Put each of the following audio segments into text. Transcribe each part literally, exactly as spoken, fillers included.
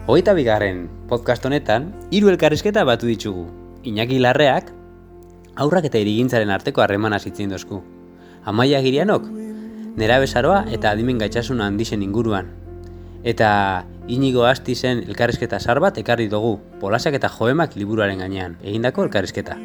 Hogeita bigarren podcast honetan, hiru elkarrizketa batu ditugu. Iñaki Larreak, haurrak eta hirigintzaren arteko harremana zitzen dozku. Amaia Girianok, nerabezaroa eta adimen gaitasun handixen inguruan. Eta Inigo Astizen elkarrizketa zar bat ekarri dugu, Polasak eta Joemak liburuaren gainean, egindako elkarrizketa.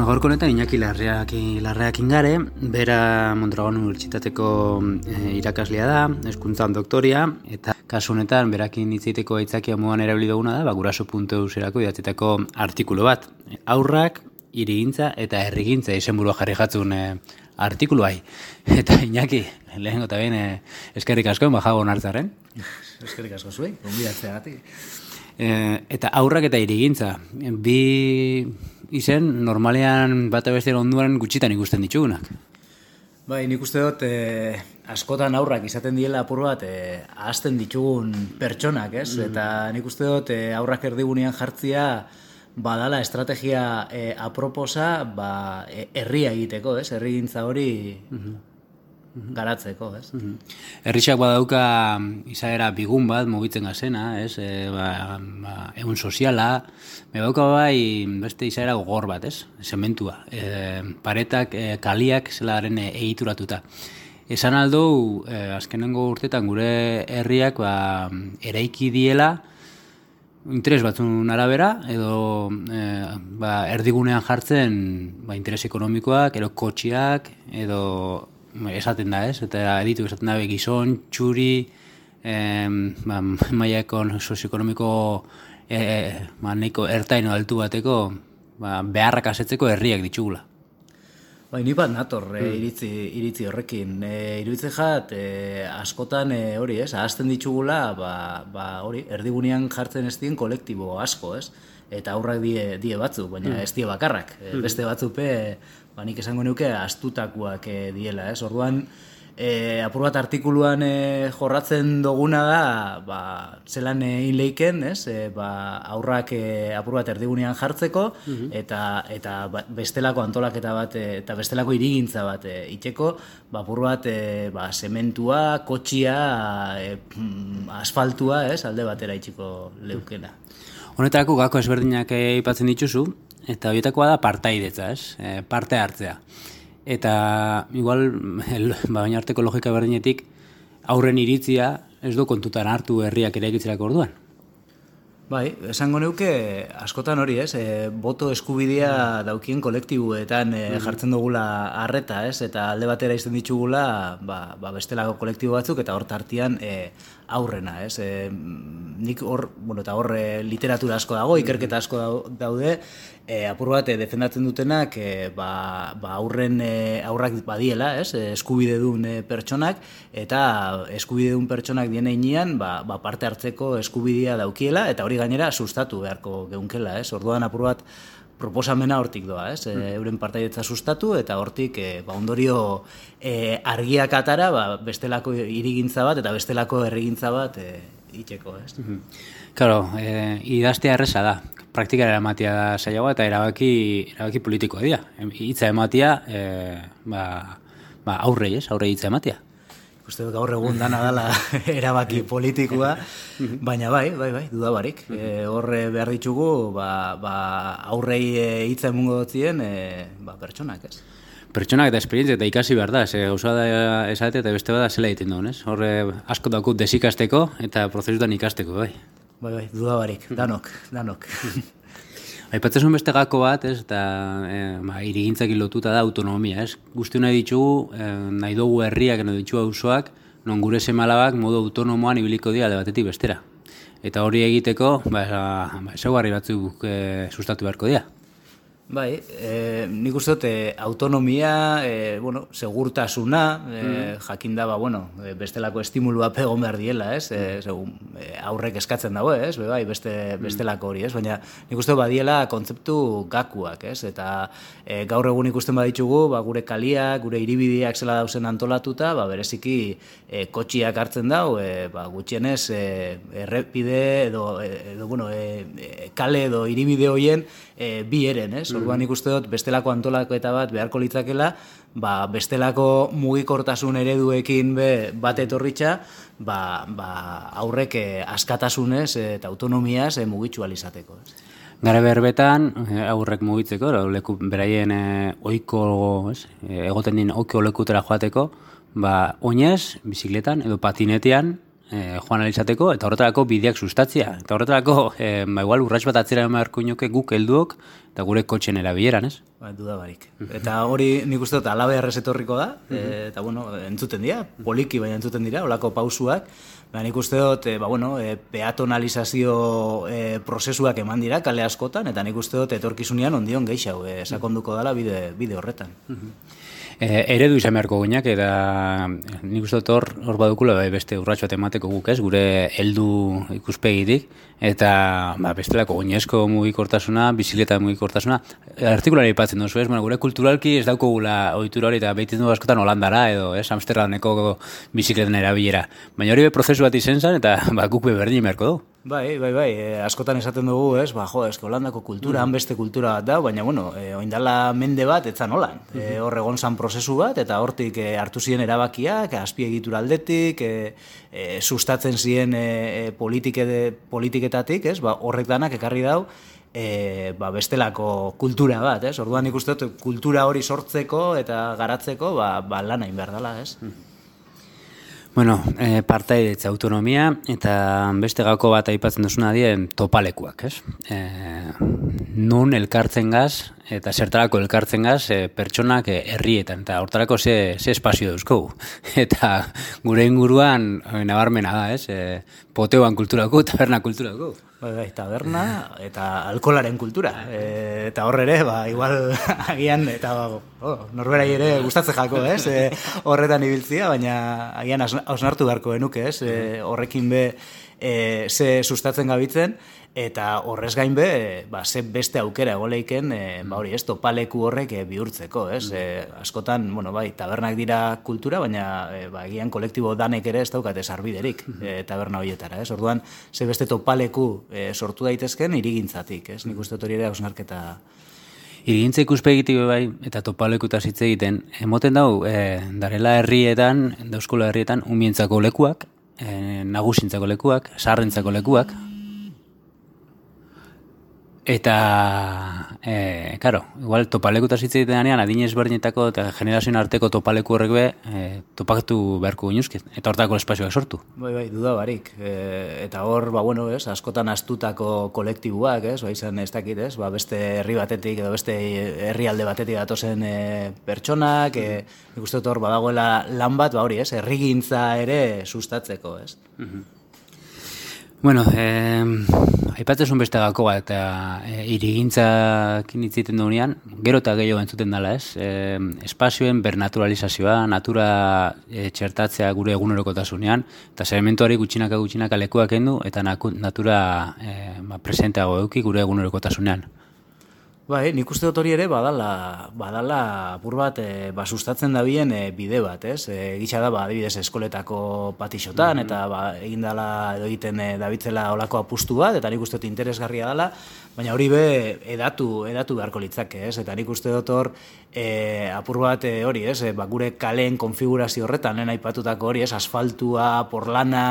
Gaurko honetan Iñaki Larreak, Larreak ingare, bera Mondragon Unibertsitateko e, irakaslea da, hezkuntzan doktoria, eta kasu honetan berakin hitzeiteko aitzakia moduan erabili duguna da, ba, guraso puntu eus-erako idatzitako artikulu bat. Haurrak, hirigintza eta herrigintza izenburua jarri jatzun e, artikulu bai. Eta Iñaki, lehengo eta behin e, eskerrik asko, bajago onartzaren. Eskerrik asko zuei, gonbidatzeagatik. E, eta haurrak eta hirigintza, bi izen normalean bat abestera onduan gutxitan ikusten ditugunak. Bai, nik uste dut eh, askotan aurrak izaten diela apur bat eh, ahazten ditugun pertsonak, ez? Mm. Eta nik uste dut eh, aurrak erdigunean jartzia badala estrategia eh, aproposa ba, eh, herria egiteko, ez? Herrigintza hori mm-hmm. garatzeko, ez? Mm-hmm. Herrixak badauka izaera bigun bat mugitzen gazena, ez? E, ba, ba, egun soziala, badauka bai beste izaera gogor bat, ez? Zementua. E, paretak, e, kaliak zelaren e, egituratuta. Esan aldo, e, azkenengo urtetan gure herriak ba, eraiki diela interes batzun arabera, edo e, ba, erdigunean jartzen ba, interes ekonomikoak, edo kotxiak, edo esaten da, ez? Eta editu esaten da gizon, txuri, em, ba, mailako sozioekonomiko e, ba, neko ertaino altu bateko ba, beharrak asetzeko herriak ditugula. Bai, ni bat nator mm. e, iritzi, iritzi horrekin. E, iruditzen jat, e, askotan e, hori, ez? Ahazten ditugula, ba, ba, hori, erdigunean jartzen ez dien kolektibo asko, ez? Eta aurrak die, die batzu, baina mm. ez die bakarrak. E, beste batzupe, ba, nik esango neuke astutakuak e, diela, ez? Orduan, e, apur bat artikuluan e, jorratzen duguna da, ba, zelan egin leiken, ez? E, ba, aurrak e, apur bat erdigunean jartzeko, mm-hmm. eta, eta ba, bestelako antolaketa bat, e, eta bestelako hirigintza bat e, iteko, ba, apur bat e, ba, sementua, kotxia, e, asfaltua, ez? Alde batera itxiko leukena. Honetarako gako ezberdinak aipatzen dituzu, eta horietakoa da partaidetza, ez? E, parte hartzea. Eta igual, el, ba, baina arteko logika berdinetik, aurren iritzia ez du kontutan hartu herriak eraikitzerako orduan. Bai, esango neuke askotan hori, ez? E, boto eskubidea daukien kolektibuetan e, jartzen dugula arreta, ez? Eta alde batera izten ditugula, ba, ba bestelako kolektibo batzuk eta hor tartian e, aurrena, ez? E, nik hor, bueno, eta hor e, literatura asko dago, ikerketa asko daude, e, apur bat e, defendatzen dutenak e, ba, ba aurren e, aurrak badiela, ez? E, eskubide duen e, pertsonak, eta eskubide duen pertsonak dien heinean, ba, ba parte hartzeko eskubidea daukiela, eta hori gainera sustatu beharko geunkela, ez? Orduan apur bat proposamena hortik doa, ez? E, euren partaidetza sustatu eta hortik e, ba, ondorio e, argiak atara ba, bestelako hirigintza bat eta bestelako herrigintza bat e, itxeko, ez? Claro, e, idaztea erresa da. Praktikara eramatia da zailagoa eta erabaki, erabaki politikoa dira. Hitza ematia e, ba, ba, aurrei, ez? Aurrei hitza ematia. Uste dut gaur egun dana dela erabaki politikoa, baina bai, bai, bai, dudabarik. E, horre behar ditugu, ba, ba, aurrei hitza emungo dutzien e, ba, pertsonak, ez? Pertsonak eta esperientzia eta ikasi behar da, ze gauza da esate eta beste bada zela egiten duen, ez? Horre asko daukut desikasteko eta prozesutan ikasteko, bai. Bai, bai, dudabarik, danok, danok. Aipatzen beste gako bat, ez, eta e, ba, hirigintzak lotuta da autonomia, ez? Guzti nahi ditugu, e, nahi dugu herriak, nahi ditugu auzoak, non gure semalabak modu autonomoan ibiliko dira alde batetik bestera. Eta hori egiteko, ba, ba ezaugarri batzuk e, sustatu beharko dira. Bai, e, nik uste dut e, autonomia, e, bueno, segurtasuna, e, mm. jakinda, ba, bueno, e, bestelako estimulua pegon behar diela, ez? E, segun, e, aurrek eskatzen dago, ez? Be, bai, beste, bestelako hori, ez? Baina nik uste dut badiela kontzeptu gakuak, ez? Eta e, gaur egun ikusten baditugu, ba, gure kaliak, gure hiribideak zela dauzen antolatuta, ba, bereziki e, kotxiak hartzen dau, e, ba, gutxienez e, errepide edo, edo bueno, e, kale edo hiribide hoien e, bi eren, ez? Orduan ikuste dut bestelako antolaketa bat beharko litzakela, ba, bestelako mugikortasun ereduekin be, bat etorritza, ba, ba, aurrek eh, askatasunez eta autonomiaz eh, mugitzu alizateko. Gara berbetan, aurrek mugitzeko, leku, beraien eh, oiko, ez, egoten din oiko lekutera joateko, ba, oinez, bizikletan edo patinetean, E, joan alizateko, eta horretarako bideak sustatzia. Eta horretarako, e, ba, igual, urrats bat atzera emarko inoke guk helduok, eta gure kotxen erabileran, ez? Ba, duda barik. Eta hori nik uste dut alabe errez etorriko da, e, eta, bueno, entzuten dira, poliki baina entzuten dira, olako pausuak, ba, nik uste dut, e, ba, bueno, e, peatonalizazio e, prozesuak eman dira, kale askotan, eta nik uste dut etorkizunean ondion gehiago, e, sakonduko dela bide, bide horretan. E, eredu izan beharko guinak, eta nik uste dut hor, hor badukula bai, beste urratxo bat emateko guk ez, gure heldu ikuspegitik, eta ba, bestelako oinezko mugikortasuna, bizikleta mugikortasuna, artikulari ipatzen duzu ez, bueno, gure kulturalki ez dauko gula ohitura hori, eta behiten du askotan Holandara, edo ez, Amsterdameko bizikletan erabilera. Baina hori be prozesu bat izen zen, eta ba, guk be berdin beharko du. Bai, bai, bai, e, askotan esaten dugu, ez, ba, jo, eske Holandako kultura, han beste kultura bat da, baina, bueno, e, oindala mende bat, etzan holan. E, hor egon zan prozesu bat, eta hortik e, hartu ziren erabakiak, azpiegitura aldetik, e, e, sustatzen ziren e, e, politike de, politiketatik, ez, ba, horrek danak ekarri dau, e, ba, bestelako kultura bat, ez, orduan ikusten dut, kultura hori sortzeko eta garatzeko, ba, ba lan hain behar dela, ez. Bueno, e, partaidetza autonomia eta beste gauko bat aipatzen duzuna dien topalekuak, ez? E, nun elkartzen gaz eta zertarako elkartzen gaz e, pertsonak e, herrietan, eta hortarako ze, ze espazio dauzkogu. Eta gure inguruan e, nabarmena da, ez? E, poteoan kulturako, taberna kulturako. Bai, bai, taberna eta alkolaren kultura. E, eta horre ere, ba, igual agian, eta oh, norberai ere gustatzen jako, ez? E, horretan ibiltzia, baina agian hausnartu beharko genuke, ez? E, horrekin be e, ze sustatzen gabitzen, eta horrez gain be, ba, ze beste aukera egoleiken, e, ba, hori, ez, topaleku horrek e, bihurtzeko, ez? E, askotan, bueno, bai, tabernak dira kultura, baina e, ba, agian kolektibo danek ere ez daukate sarbiderik e, taberna horietara, ez? Orduan, ze beste topaleku e, sortu daitezken irigintzatik, ez? Nik uste dut hori ere hausnarketa. Irigintza ikuspegitik bai, eta topalekutaz hitz egiten, emoten dau, e, darela herrietan, dauzkola herrietan, umientzako lekuak, e, nagusintzako lekuak, sarrentzako lekuak, eta, e, karo, igual topalekutaz hitz egiten danean, adinez berdinetako eta generazioen arteko topaleku horrek be, e, topakatu beharko ginuzket, eta hortako espazioak sortu. Bai, bai, duda barik. E, eta hor, ba, bueno, ez, askotan astutako kolektibuak, ez, ba, izan ez dakit, ez, ba, beste herri batetik edo beste herrialde batetik datozen e, pertsonak, e, nik uste dut hor, badagoela lan bat, ba, hori, ez, herrigintza ere sustatzeko, ez. Mhm. Bueno, eh, aipatzezun beste gako bat, eta e, irigintzakin hitziten dugunean, gero eta gehiago entzuten dela, ez? E, espazioen bernaturalizazioa, natura e, txertatzea gure egunerokotasunean, eta sedimentuari gutxinaka gutxinaka lekuak kendu, eta natura e, ba, presenteago eduki gure egunerokotasunean. Bai, nik uste dut hori ere badala, badala apur bat e, ba, sustatzen dabien e, bide bat, ez? E, Gitxa da, ba, adibidez, eskoletako patixotan, mm-hmm. eta ba, egin dala edo egiten e, dabitzela olako apustu bat, eta nik uste dut interesgarria dela, baina hori be edatu, edatu beharko litzake, ez? Eta nik uste dut hor e, apur bat e, hori, ez? E, ba, gure kaleen konfigurazio horretan, lehen aipatutako hori, ez? Asfaltua, porlana,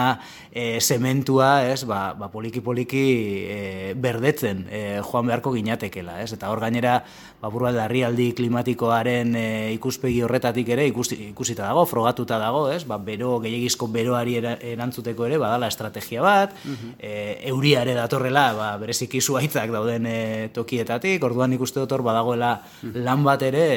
e, zementua, ez? Ba, ba poliki-poliki e, berdetzen e, joan beharko ginatekela, ez? Eta hor gainera, apur bat larrialdi klimatikoaren e, ikuspegi horretatik ere ikusi, ikusita dago, frogatuta dago, ez? Ba, bero, gehiagizko beroari erantzuteko ere badala estrategia bat, uh-huh. e, euria ere datorrela, ba, bereziki zuhaitzak dauden e, tokietatik, orduan ikuste dut hor badagoela uh-huh. lan bat ere,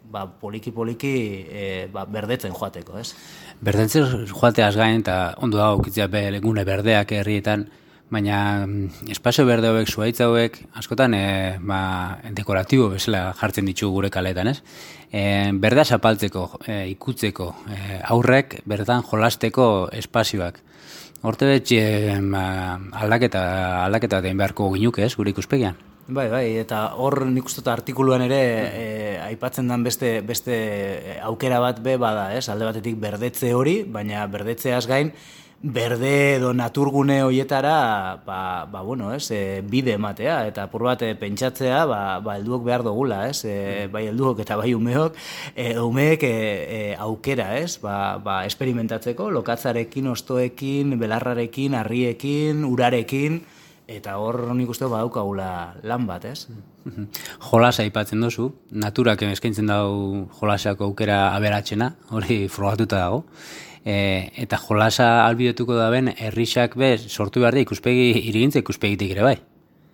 ba, poliki-poliki e, ba, berdetzen joateko, ez? Berdetzen joateaz gain, eta ondo dago ukitzea be, gune berdeak herrietan, baina espazio berde hauek, zuhaitz hauek, askotan e, ba, dekoratibo bezala jartzen ditu gure kaletan, ez? E, berdea zapaltzeko, e, ikutzeko, e, aurrek berdan jolasteko espazioak. Horte betxe ba, aldaketa, aldaketa den beharko ginuke, ez, gure ikuspegian. Bai, bai, eta hor nik uste dut artikuluan ere e, aipatzen den beste, beste aukera bat be bada, ez? Alde batetik berdetze hori, baina berdetzeaz gain, berde edo naturgune hoietara ba, ba, bueno, ez, e, bide ematea, eta apur bat e, pentsatzea, ba, ba, helduok behar dugula, ez? E, bai helduok eta bai umeok, e, umeek e, e, aukera, ez? Ba, ba, experimentatzeko, lokatzarekin, ostoekin, belarrarekin, harriekin, urarekin, eta hor nik uste badaukagula lan bat, ez? Jolasa aipatzen dozu, naturak eskaintzen dau jolasako aukera aberatsena, hori frogatuta dago. E, eta jolasa albidetuko da ben, herrixak be, sortu behar da ikuspegi, irigintza ikuspegitik ere bai.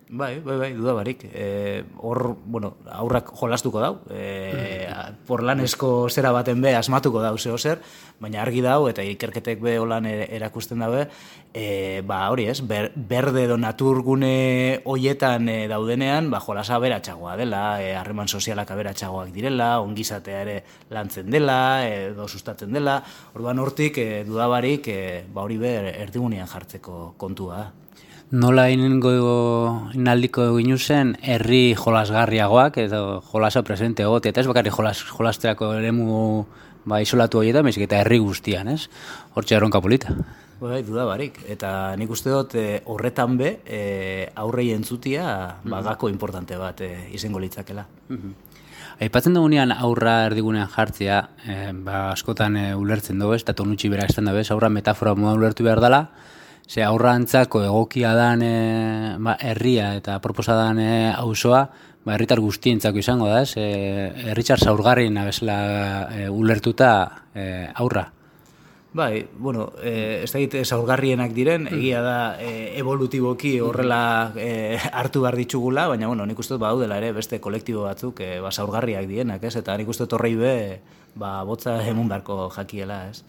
Bai, bai, bai, duda barik. E, hor, bueno, aurrak jolastuko dau, e, porlanesko zera baten be asmatuko dau zeo zer, baina argi dau eta ikerketek be holan erakusten dabe, e, ba hori ez, ber, berde edo naturgune hoietan e, daudenean, ba jolasa aberatsagoa dela, e, harreman sozialak aberatsagoak direla, ongizatea ere lantzen dela, edo sustatzen dela, orduan hortik e, dudabarik e, ba hori be erdigunean jartzeko kontua da. Nola inengo inaldiko ginu zen herri jolasgarriagoak edo jolasa presente egote, eta ez bakarrik jolas, jolasteako eremu ba, isolatu horietan, baizik eta herri guztian, ez? Hortxe erronka polita. Bai, duda barik, eta nik uste dut e, horretan be e, aurrei entzutia ba, gako importante bat e, izango litzakela. Aipatzen dugunean aurra erdigunean jartzea, e, ba, askotan e, ulertzen dugu, ez, eta tonutxi bera estan dabe, aurra metafora moda ulertu behar dela, ze aurra antzako egokia dan e, ba, herria eta proposa dan e, auzoa, ba, herritar guztientzako izango da, ez? E, herritxar zaurgarrien abezela e, ulertuta e, aurra. Bai, bueno, e, ez da egite zaurgarrienak diren, egia da e, evolutiboki horrela e, hartu behar ditugula, baina bueno, nik uste dut badaudela ere beste kolektibo batzuk e, ba, zaurgarriak dienak, ez? Eta nik uste dut horrei be, ba, botza emun beharko jakiela, ez?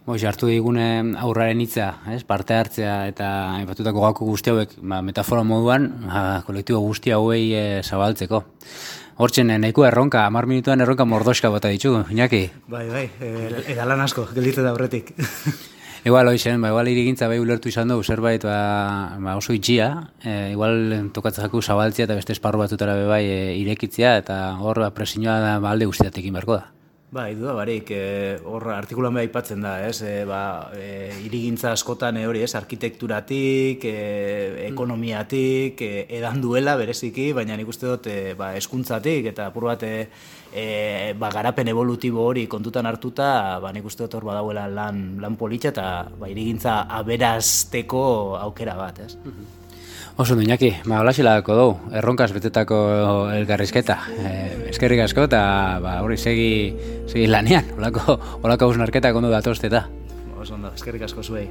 Boix, hartu digune aurraren hitza, ez? Parte hartzea eta aipatutako gako guzti hauek ba, metafora moduan ba, kolektibo guzti hauei e, zabaltzeko. Hortzen, nahiko erronka, hamar minutuan erronka mordoska bota ditugu, Iñaki? Bai, bai, eta lan asko, gelditu da horretik. Igual, hoixen, ba, igual irigintza bai ulertu izan dugu zerbait ba, ba oso itxia, e, igual tokatzen jaku zabaltzea eta beste esparru batzutara be bai e, irekitzea, eta hor ba, presioa da ba, alde guztiatekin beharko da. Bai, duda barik, e, hor artikulan beha aipatzen da, ez, e, ba, e, irigintza askotan e, hori, ez, arkitekturatik, e, ekonomiatik, e, edan duela bereziki, baina nik uste dut, e, ba, eskuntzatik, eta apur bat, e, e, ba, garapen evolutibo hori kontutan hartuta, ba, nik uste dut hor badauela lan, lan politxa, eta ba, irigintza aberazteko aukera bat, ez. Oso du, Iñaki, ba, holaxilako dugu, erronkaz betetako elkarrizketa. E, eskerrik asko eta ba, hori segi, segi lanean, holako, holako hausnarketak ondo datozteta. Oso ondo, eskerrik asko zuei.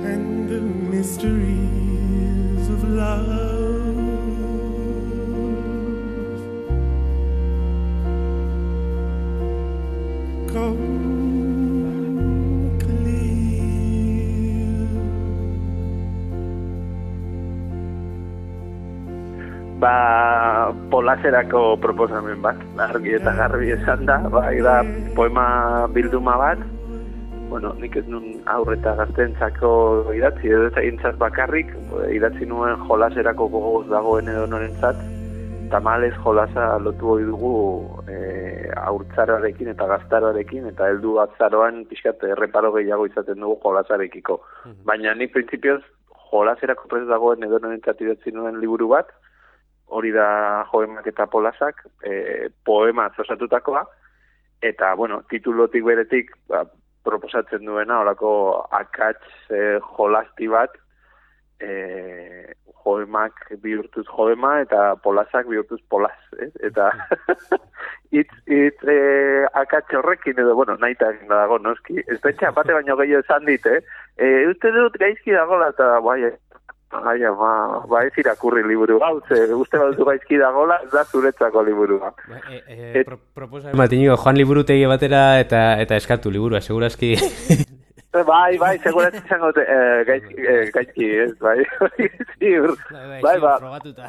And the mysteries of love Ba, polaserako proposamen bat, argi eta garbi esan da, bai da poema bilduma bat, bueno, nik ez nun aurreta gaztentzako idatzi, edo ez egintzat bakarrik, idatzi nuen jolaserako gogoz dagoen edo norentzat, tamalez jolasa lotu hori dugu e, aurtzaroarekin eta gaztaroarekin, eta heldu atzaroan pixkat erreparo gehiago izaten dugu jolasarekiko. Baina nik printzipioz jolaserako prez dagoen edo norentzat idatzi nuen liburu bat, hori da Joemak eta Polasak, e, poema osatutakoa, eta, bueno, titulotik beretik ba, proposatzen duena, horako akats e, jolasti bat, e, Joemak bihurtuz Joema eta Polasak bihurtuz Polas, eh? Eta itz, itz e, akats horrekin edo, bueno, nahi eta egin dago, noski, ez da etxe apate baino gehiago esan dit, eh? E, uste dut gaizki dagoela, eta bai, Ai, ama, ba ez irakurri liburu hau, ze uste baduzu gaizki dagoela, ez da zuretzako liburua. Ba, e, e, Et... pro, proposa Matinigo, Joan Liburutegi batera eta eta eskatu liburua, segurazki. Bai, bai, segurazki izango dute, eh, gaizki, eh, gaizki, ez, bai, ziur, bai, ba,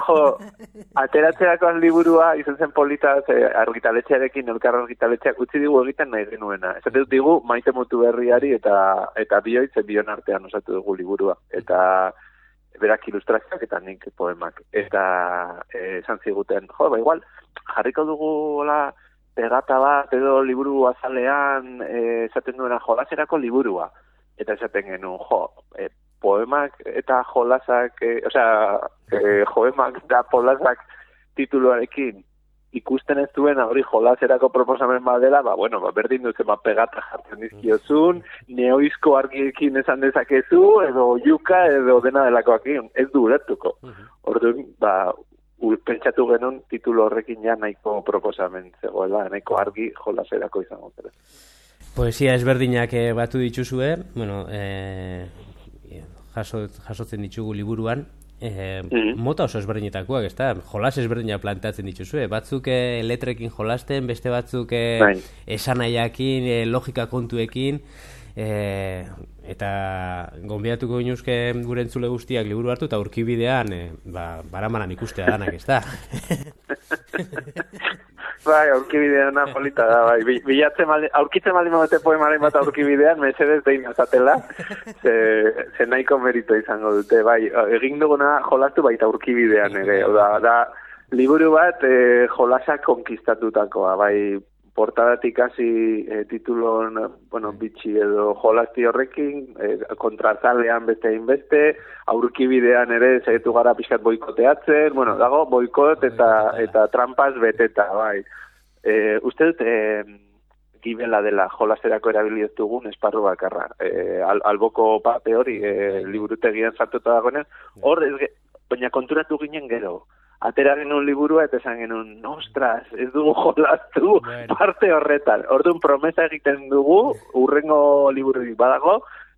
jo, ateratzerako liburua izan zen polita, eh, argitaletxearekin, elkar argitaletxeak utzi digu egiten nahi genuena. Esate dut digu, maite mutu berriari eta eta bioitz, bion artean osatu dugu liburua, eta berak ilustrazioak eta nik poemak. Eta eh, esan ziguten, jo, ba, igual, jarriko dugu, hola, pegata bat edo liburu azalean eh, esaten duena jolaserako liburua. Eta esaten genuen, jo, eh, poemak eta jolasak, eh, osea, eh, joemak eta jolasak tituluarekin ikusten ez duena hori jolaserako proposamen badela, ba, bueno, ba, berdin duzen, ba, pegata jartzen dizkiozun, neoizko argiekin esan dezakezu, edo yuka, edo dena delakoakin, ez du ulertuko. Orduan, ba, pentsatu genuen titulo horrekin ja nahiko proposamen zegoela, nahiko argi jolaserako izango zera. Poesia ezberdinak eh, batu dituzue, bueno, eh, jaso, jasotzen ditugu liburuan, eh, mm-hmm. mota oso ezberdinetakoak, ez da? Jolas ezberdinak planteatzen dituzue, batzuk eh, letrekin jolasten, beste batzuk eh, bai. Esanaiakin, eh, logika kontuekin, E, eta gonbidatuko ginuzke gure entzule guztiak liburu hartu eta aurkibidean e, ba, baramanan ikustea danak, ez da? Bai, aurkibidean polita da, bai. Bilatzen maldi, aurkitzen maldi mote poemaren bat aurkibidean, mesedez dein azatela, ze, ze nahiko merito izango dute, bai. Egin duguna jolastu baita aurkibidean ere, da, da liburu bat e, jolasak konkistatutakoa, bai. Portadatik hasi e, titulon, bueno, bitxi edo jolasti horrekin, e, kontrazalean beste inbeste, aurkibidean ere zaitu gara pixkat boikoteatzen, bueno, dago boikot eta eta trampas beteta, bai. E, uste dut, e, gibela dela jolasterako erabili ez dugun esparru bakarra. E, al, alboko pape hori, e, liburutegian sartuta dagoenean, hor, ez, baina konturatu ginen gero. Atera genuen liburua eta esan genuen, ostras, ez dugu jolastu bueno. Parte horretan. Orduan promesa egiten dugu, urrengo libururik badago,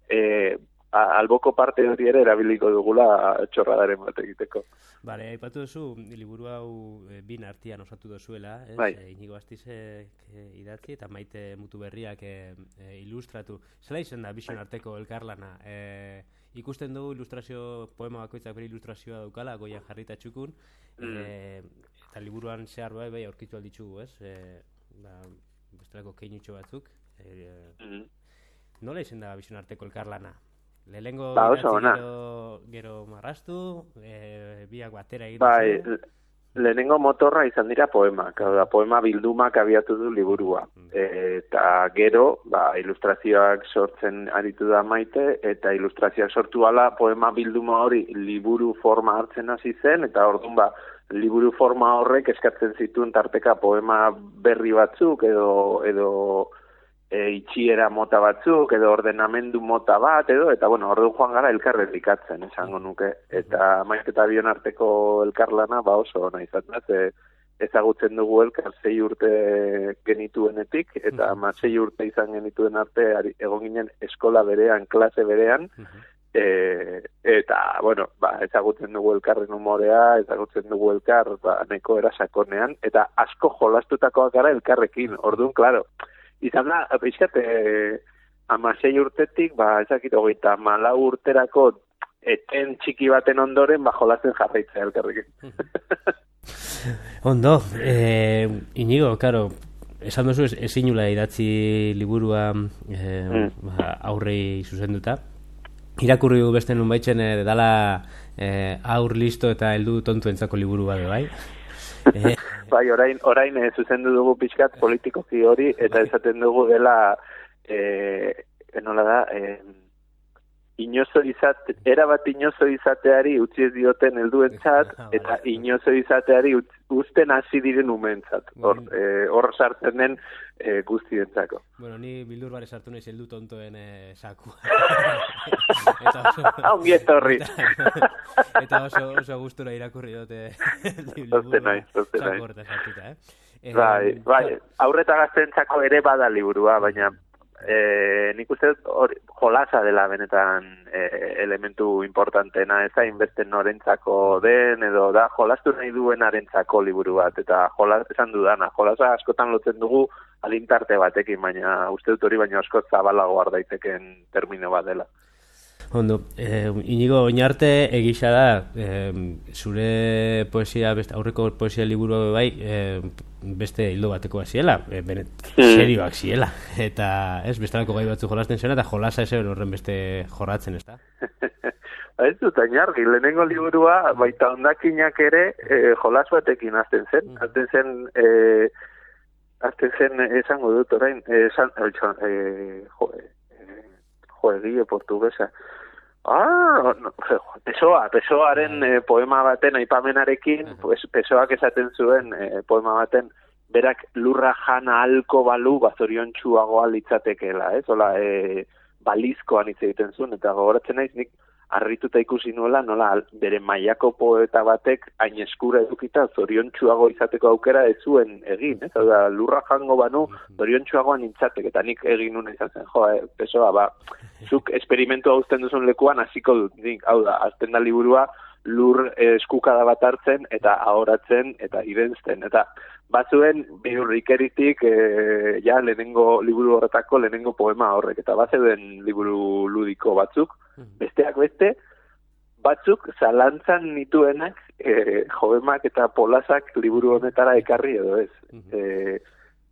e, alboko parte hori ere erabiliko dugula txorradaren bat egiteko. Bale, aipatu duzu, liburu hau e, bin artian osatu dozuela, ez? Bai. E, Inigo Astizek e, idatzi eta Maite Mutuberriak e, e, ilustratu. Zela izan da Bision arteko elkarlana? E, ikusten dugu ilustrazio, poema bakoitzak bere ilustrazioa daukala, goian jarrita txukun, mm. e, eta liburuan zehar bai, bai aurkitu alditzugu, ez? E, ba, bestelako keinutxo batzuk. E, mm. Nola izan da Bision arteko elkarlana? Lehenengo ba, gero, gero marrastu, e, biak batera egin bai, lehenengo motorra izan dira poemak, da, poema bildumak abiatu du liburua. Mm. E, eta gero, ba, ilustrazioak sortzen aritu da Maite, eta ilustrazioak sortu ala poema bilduma hori liburu forma hartzen hasi zen, eta orduan ba, liburu forma horrek eskatzen zituen tarteka poema berri batzuk edo... edo E, itxiera mota batzuk, edo ordenamendu mota bat, edo, eta bueno, ordu joan gara elkarrezikatzen, esango nuke. Eta Maite eta Bion arteko elkarlana, ba oso ona izan da, ze ezagutzen dugu elkar sei urte genituenetik, eta ama sei urte izan genituen arte, egon ginen eskola berean, klase berean, e, eta, bueno, ba, ezagutzen dugu elkarren humorea, ezagutzen dugu elkar, ba, neko erasakonean, eta asko jolastutakoak gara elkarrekin, orduan, klaro, izan da, pixkat, e, amasei urtetik, ba, ezakit hogeita malau urterako eten txiki baten ondoren, ba, jolasten jarraitzea elkarrekin. Ondo, eh, Inigo, karo, esan duzu ezin nula idatzi liburua eh, mm. ba, aurrei zuzenduta. Irakurri du beste nun baitzen eh, dala eh, aur listo eta heldu tontuentzako liburu bade, bai? Eh, bai, orain, orain eh, zuzendu dugu pixkat politikoki hori, eta esaten dugu dela, eh, nola da, eh, inozo izate, erabat inozo izateari utzi ez dioten helduentzat, eta inozo izateari uzten hasi diren umentzat. Hor, eh, hor sartzen den eh, guztientzako. Bueno, ni bildur bare sartu naiz heldu tontoen eh, saku. Ongi etorri. Eta oso, oso gustura irakurri dute liburu naiz, saku horta sartuta, eh? Bai, bai, aurreta gaztentzako ere bada liburua, baina e, nik uste hori jolasa dela benetan e, elementu importantena, ez da inbeste norentzako den, edo da jolastu nahi duenarentzako liburu bat, eta jolas, esan dudana, jolasa askotan lotzen dugu alintarte batekin, baina uste dut hori baina asko zabalago daiteken termino bat dela. Ondo, eh, Inigo Oñarte egisa da, eh, zure poesia, beste, aurreko poesia liburu bai, eh, beste hildo bateko ziela, eh, benet, serioak ziela, eta ez, bestelako gai batzu jolasten zena, eta jolasa ez horren beste jorratzen, ez da? Ez dut, ainargi, lehenengo liburua, baita ondakinak ere, eh, jolas batekin azten zen, azten zen, eh, azten zen, esango dut orain, esan, eh, jo, eh, jo, egile portugesa, Ah, no, Pesoa, Pesoaren eh, poema baten aipamenarekin, pues, Pesoak esaten zuen eh, poema baten, berak lurra jana halko balu bazoriontsuagoa litzatekeela, ez? Hola, eh, balizkoan hitz egiten zuen, eta gogoratzen naiz nik harrituta ikusi nuela, nola bere mailako poeta batek hain eskura edukita zoriontsuago izateko aukera ez zuen egin, ez? Hau da, lurra jango banu zoriontsuagoan nintzateke, eta nik egin nuna izan zen, jo, eh, Pesoa, ba, zuk esperimentua uzten duzun lekuan hasiko dut, nik, hau da, azten da liburua lur eskukada bat hartzen, eta ahoratzen, eta irentzten, eta bazuen biurrikeritik e, ja lehenengo liburu horretako lehenengo poema horrek, eta bazeuden liburu ludiko batzuk, besteak beste, batzuk zalantzan nituenak e, joemak eta polasak liburu honetara ekarri edo ez. E,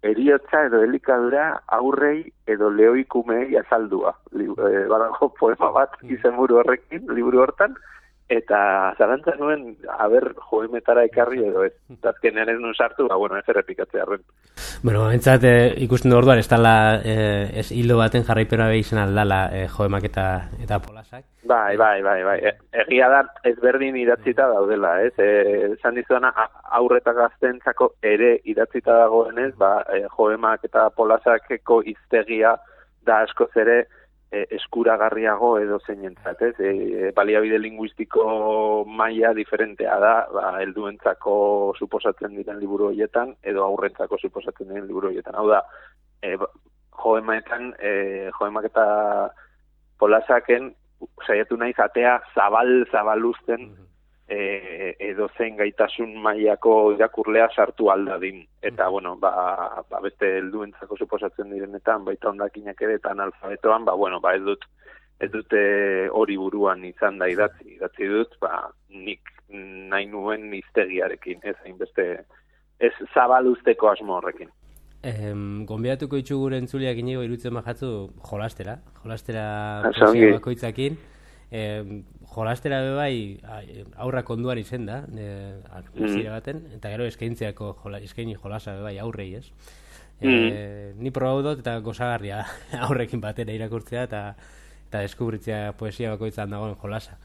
eriotza edo elikadura aurrei edo lehoikumei azaldua. Li, e, badago poema bat izenburu horrekin, liburu hortan, eta zalantzan nuen, haber, joemetara ekarri edo ez. Azkenean ez nun sartu, ba, bueno, ez errepikatzea arren. Bueno, entzat, eh, ikusten du orduan, ez dala, eh, ez hildo baten jarraipena behizan aldala eh, joemak eta, eta polasak. Bai, bai, bai, bai. E, egia da, ezberdin idatzita daudela, ez? E, esan dizuena, aurreta gaztentzako ere idatzita dagoenez, ba, e, joemak eta polasakeko hiztegia da askoz ere, eskuragarriago edo zeinentzat, ez? E, baliabide linguistiko maila diferentea da, ba, helduentzako suposatzen diren liburu horietan, edo aurrentzako suposatzen diren liburu horietan. Hau da, e, joemaetan, e, joemak eta polasaken saiatu naiz atea zabal-zabaluzten e, edo zein gaitasun mailako irakurlea sartu aldadin. Eta, bueno, ba, ba beste helduentzako suposatzen direnetan, baita ondakinak ere eta analfabetoan, ba, bueno, ba, ez dut, ez dute hori buruan izan da idatzi. Idatzi dut, ba, nik nahi nuen hiztegiarekin, ez hainbeste, ez zabaluzteko asmo horrekin. Eh, Gonbidatuko itxu gure entzuliak inigo irutzen bajatzu jolastera, jolastera poesia bakoitzakin. Eh, jolastera bebai aurrak onduan izen da, eh, mm. baten, eta gero eskaintzeako jola, eskaini jolasa bebai aurrei, ez? Eh, mm. Ni probau dut eta gozagarria aurrekin batera irakurtzea eta, eta deskubritzea poesia bakoitzan dagoen jolasa.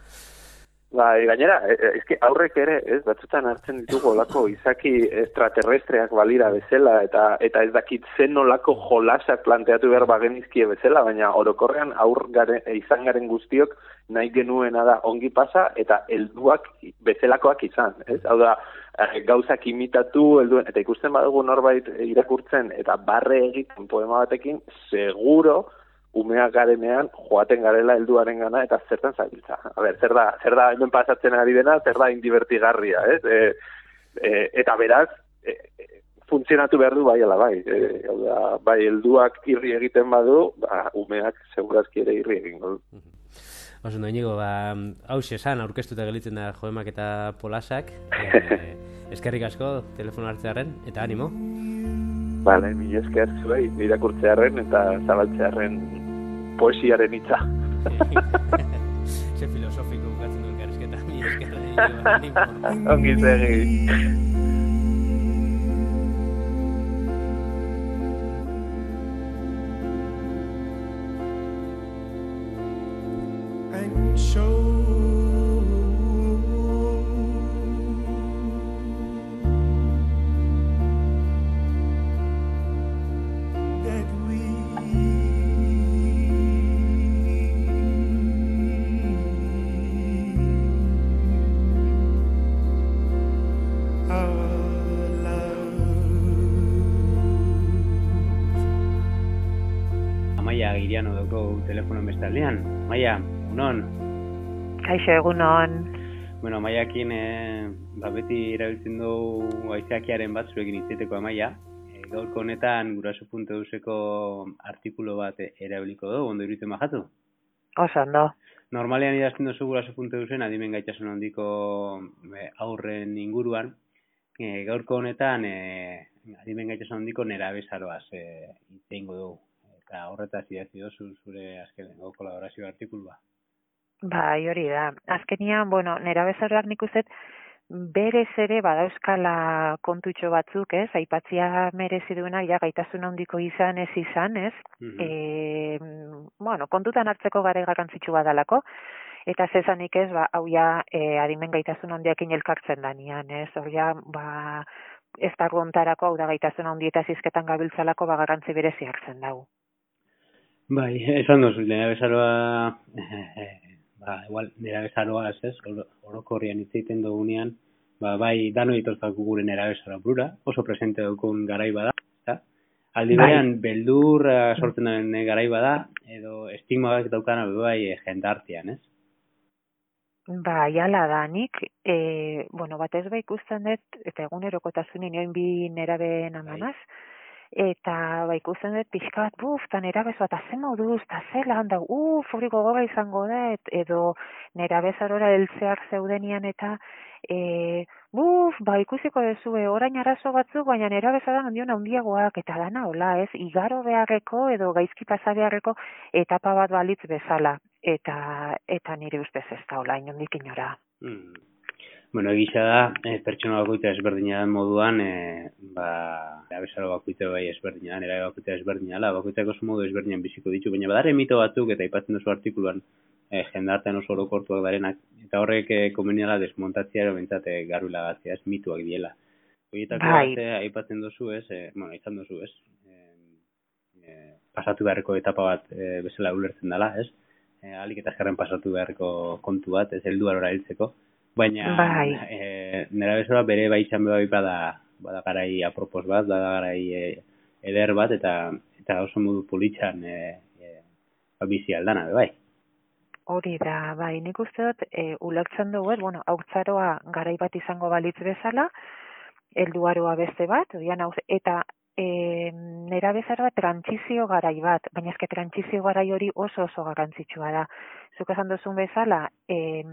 Bai, gainera, eske aurrek ere, ez, batzutan hartzen ditugu olako izaki extraterrestreak balira bezala, eta eta ez dakit zen olako jolasak planteatu behar bagenizkie bezala, baina orokorrean aur garen, izan garen guztiok nahi genuena da ongi pasa, eta helduak bezalakoak izan, ez? Hau da, gauzak imitatu, helduen, eta ikusten badugu norbait irakurtzen, eta barre egiten poema batekin, seguro, umeak garenean, joaten garela helduaren gana, eta zertan zabiltza. A ber, zer da, zer da hemen pasatzen ari dena, zer da indibertigarria, ez? E, e, eta beraz, e, e, funtzionatu behar du bai ala bai. E, da, bai, helduak irri egiten badu, ba, umeak segurazki ere irri egingo du. Oso, no, Inigo, ba, hau esan, aurkeztuta gelitzen da joemak eta polasak. E, eskerrik asko, telefono hartzearen, eta animo. Bale, mi esker zuei, irakurtzearen eta zabaltzearen poesiaren hitza. Ze filosofiko bukatzen du elkarrizketa, mi esker. Ongi segi. Our Giriano dugu telefono bestaldean. Maia, unon? Kaixo, egunon. Bueno, Maiakin, e, ba, beti erabiltzen dugu aizeakiaren bat zuekin itzeteko Maia. E, gaurko honetan guraso puntu euseko artikulo bat erabiliko dugu, ondo iruditzen bajatu? Oso ondo. Normalean idazten duzu guraso puntu eusen adimen gaitasun handiko e, aurren inguruan. E, gaurko honetan e, adimen gaitasun handiko nerabezaroaz e, itzengo dugu. Eta horretaz idatzi dozu zure azkenengo kolaborazio artikulua. Bai, hori da. Azkenian, bueno, nerabezaroak nik uzet berez ere badauzkala kontutxo batzuk, ez? Aipatzia merezi duenak ja gaitasun handiko izan ez izan, ez? Mm-hmm. E, bueno, kontutan hartzeko gare garrantzitsu badalako. Eta zezanik ez, ba, hau ja e, adimen gaitasun handiakin elkartzen danian, ez? Hor ja, ba, ez dago ontarako, hau da gaitasun handietaz izketan gabiltzalako, ba, garrantzi berezi hartzen dago. Bai, esan duzu, nerabezaroa, ba, igual, nerabezaroa, ez, orokorrian hitz egiten dugunean, ba, bai, dano ditozkako gure nerabezaroa burura, oso presente dukun garai bada, eta aldi berean, bai, beldur sortzen den garai bada, edo estigma bat daukana bai jendartean, ez? Bai, ala da, nik, e, bueno, batez bai ikusten dut, eta egunerokotasunin nioin bi nerabeen amanaz, eta ba ikusten dut pixka bat, buf, eta nerabezoa, eta ze moduz, eta ze lan da, uf, hori gogora izango da, et, edo nerabezarora heltzeak zeudenian, eta e, buf, ba ikusiko dezue, orain arazo batzuk, baina nerabezaran handion handiagoak, eta dana hola, ez, igaro beharreko, edo gaizki pasa beharreko, etapa bat balitz bezala, eta eta nire ustez ez da hola, inondik inora. Mm. Bueno, egisa da, e, pertsona bakoitza ezberdina den moduan, e, ba, nerabezaroa bakoitza bai ezberdina, nerabe bakoitza ezberdina, la, bakoitzak oso modu ezberdinan biziko ditu, baina badare mito batzuk, eta aipatzen duzu artikuluan, e, jendartean oso orokortuak darenak, eta horrek e, komeniala desmontatzea, ero bentsate garbi lagatzea, ez mituak diela. Horietako bai, bat, e, aipatzen duzu, ez, e, bueno, izan duzu, ez, e, e, pasatu beharreko etapa bat e, bezala ulertzen dela, ez, e, alik eta eskerren pasatu beharreko kontu bat, ez, helduarora hiltzeko. Baina bai, e, nerabezaroa bere bai izan behar bada, bada garai apropos bat, bada garai e, eder bat, eta eta oso modu politxan e, e, bizi aldana, bai. Hori da, bai, nik uste dut, e, ulertzen dugu, bueno, haurtzaroa garai bat izango balitz bezala, helduaroa beste bat, eta e, nerabezaroa trantsizio garai bat, baina eske trantsizio garai hori oso oso garrantzitsua da. Zuk esan duzun bezala, e,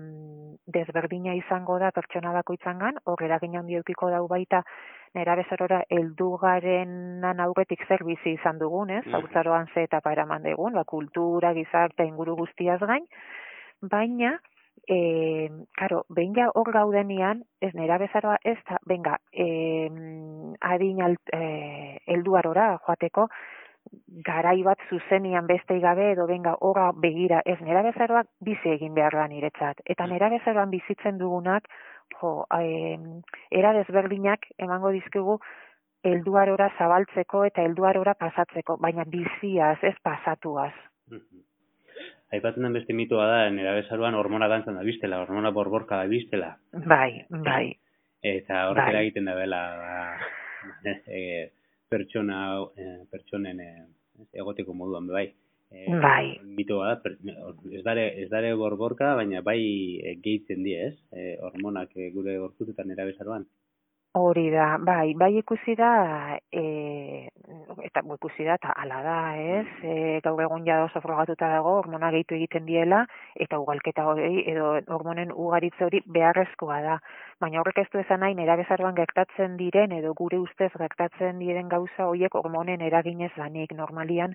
desberdina izango da pertsona bakoitzangan, hor eragin handi edukiko dau baita nerabezarora heldu garenan aurretik zer bizi izan dugun, ez? Haurtzaroan ze etapa eraman dugun, ba, kultura, gizarte, inguru guztiaz gain, baina E, karo, behin ja hor gaudenian, ez nerabezaroa ez da, benga, e, adin e, helduarora joateko, garai bat zuzenian beste gabe edo benga horra begira, ez nerabezaroak bizi egin behar da niretzat. Eta nerabezaroan bizitzen dugunak, jo, e, era desberdinak emango dizkigu helduarora zabaltzeko eta helduarora pasatzeko, baina biziaz, ez pasatuaz. Aipatzen den beste mitoa da, nerabezaroan hormona dantzan da biztela, hormona borborka da biztela. Bai, bai. Eta horrela bai, egiten da bela, ba, e, pertsona, e, pertsonen e, egoteko moduan, bai. E, bai. Mitoa da, per, ez, dare, ez dare borborka, baina bai e, gehitzen die, ez? E, hormonak e, gure gorputetan nerabezaroan. Hori da, bai, bai ikusi da, e, eta ikusi da, eta ala da, ez, e, gaur egun ja oso frogatuta dago, hormona gehitu egiten diela, eta ugalketa hori, edo hormonen ugaritze hori beharrezkoa da. Baina horrek ez du esan nahi, nerabezaroan gertatzen diren, edo gure ustez gertatzen diren gauza horiek hormonen eraginez danik. Normalian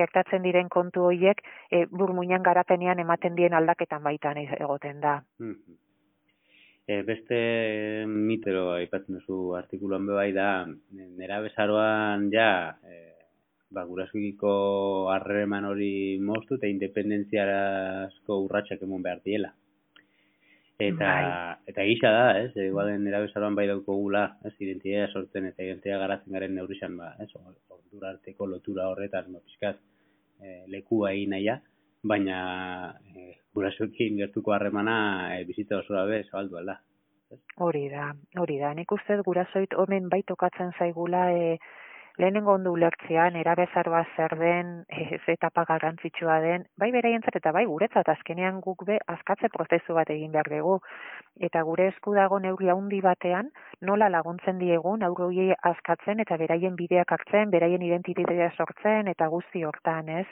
gertatzen diren kontu horiek, e, burmuinan garapenean ematen dien aldaketan baitan egoten da. Mm-hmm. E, beste mitero aipatzen duzu artikuluan bai da, nerabezaroan ja e, ba, gurasoekiko harreman hori moztu eta independentziarazko urratsak emon behar diela. Eta, bai, eta gisa da, ez, igualen nerabezaroan bai daukogula, ez, identitatea sortzen eta identitatea garatzen garen neurrizan, ba, ez, ordura arteko lotura horretan, ba, pizkat, e, lekua egin naia, baina e, gurasoekin gertuko harremana e, bizitza osoa be zabaldu alda. Hori da, hori da. Nik uste gurasoit honen bai tokatzen zaigula e, lehenengo ondo ulertzea, nerabezaroa zer den, ez etapa garrantzitsua den, bai beraientzat eta bai guretzat azkenean guk be askatze prozesu bat egin behar dugu. Eta gure esku dago neurri handi batean, nola laguntzen diegun haur horiei askatzen eta beraien bideak hartzen, beraien identitatea sortzen eta guzti hortan, ez?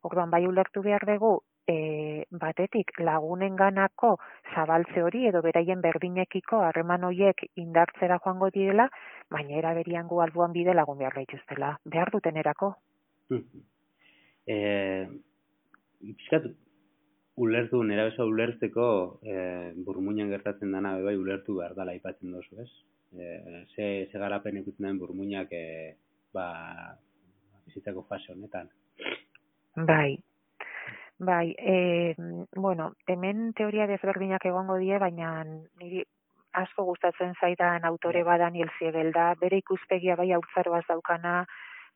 Orduan bai ulertu behar dugu, e, batetik lagunenganako zabaltze hori edo beraien berdinekiko harreman horiek indartzera joango direla, baina era berian gu alboan bide lagun behar gaituztela. Behar dutenerako. Eh, Piskat, ulertu, nerabeza ulertzeko eh, burmuinan gertatzen dana bai ulertu behar dela aipatzen dozu, ez? Eh, ze, ze garapen ikutzen den burmuinak eh, ba, bizitzako fase honetan. Bai, bai, e, bueno, hemen teoria desberdinak egongo die, baina niri asko gustatzen zaidan autore bada Daniel Siegel da, bere ikuspegia bai haurtzaroaz daukana,